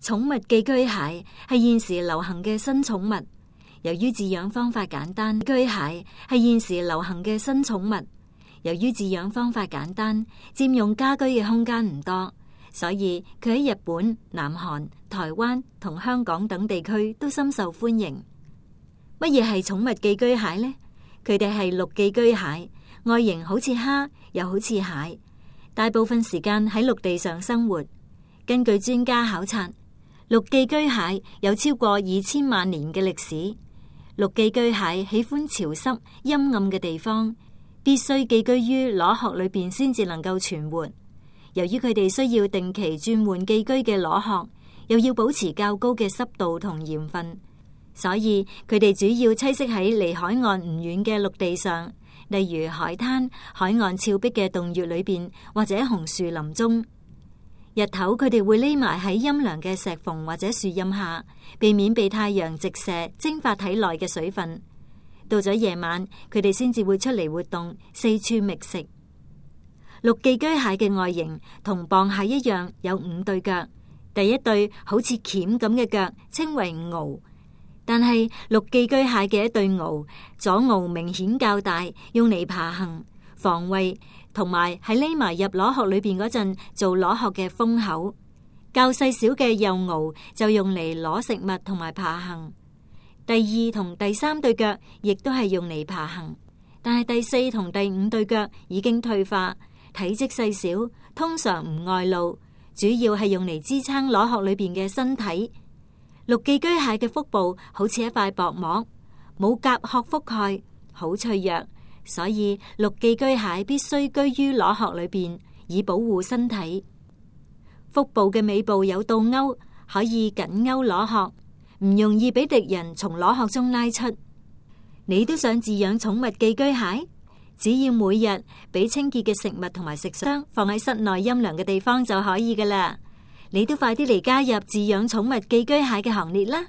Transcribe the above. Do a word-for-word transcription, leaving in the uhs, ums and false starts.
寵物寄居蟹係現時流行嘅新寵物。由於飼養方法簡單，寄居蟹係現時流行嘅新寵物。由於飼養方法簡單，佔用家居嘅空間唔多，所以佢喺日本、南韓、台灣同香港等地區都深受歡迎。乜嘢係寵物寄居蟹呢？佢哋係陸寄居蟹，外形好似蝦，又好似蟹，大部分時間喺陸地上生活。根據專家考察，陸寄居蟹有超過二千萬年嘅歷史。陸寄居蟹喜歡潮濕、陰暗嘅地方，必須寄居於螺殼裏邊先至能夠存活。由於佢哋需要定期轉換寄居嘅螺殼，又要保持較高嘅濕度同鹽分，所以佢哋主要棲息喺離海岸唔遠嘅陸地上，例如海灘、海岸峭壁嘅洞穴裏邊或者紅樹林中。日頭佢哋會匿埋喺陰涼嘅石縫或者樹蔭下，避免被太陽直射蒸發體內嘅水分。到咗夜晚，佢哋先至會出嚟活動，四處覓食。陸寄居蟹嘅外形同蚌蟹一樣，有五對腳。第一對好似鉗咁嘅腳稱為螯，但係陸寄居蟹嘅一對螯，左螯明顯較大，用嚟爬行、防衛，同埋喺匿埋入螺殼裏邊嗰陣做螺殼嘅封口。較細小嘅右螯就用嚟攞食物同埋爬行。第二同第三對腳亦都係用嚟爬行，但係第四同第五對腳已經退化，體積細小，通常唔外露，主要係用嚟支撐螺殼裏邊嘅身體。陸寄居蟹嘅腹部好似一塊薄膜，冇甲殼覆蓋，好脆弱，所以陸寄居蟹必須居於螺殼裏邊，以保護身體。腹部嘅尾部有倒鈎，可以緊勾螺殼，唔容易俾敵人從螺殼中拉出。你都想飼養寵物寄居蟹？只要每日俾清潔嘅食物同埋食箱放喺室內陰涼嘅地方就可以㗎喇。你都快啲嚟加入飼養寵物寄居蟹嘅行列啦！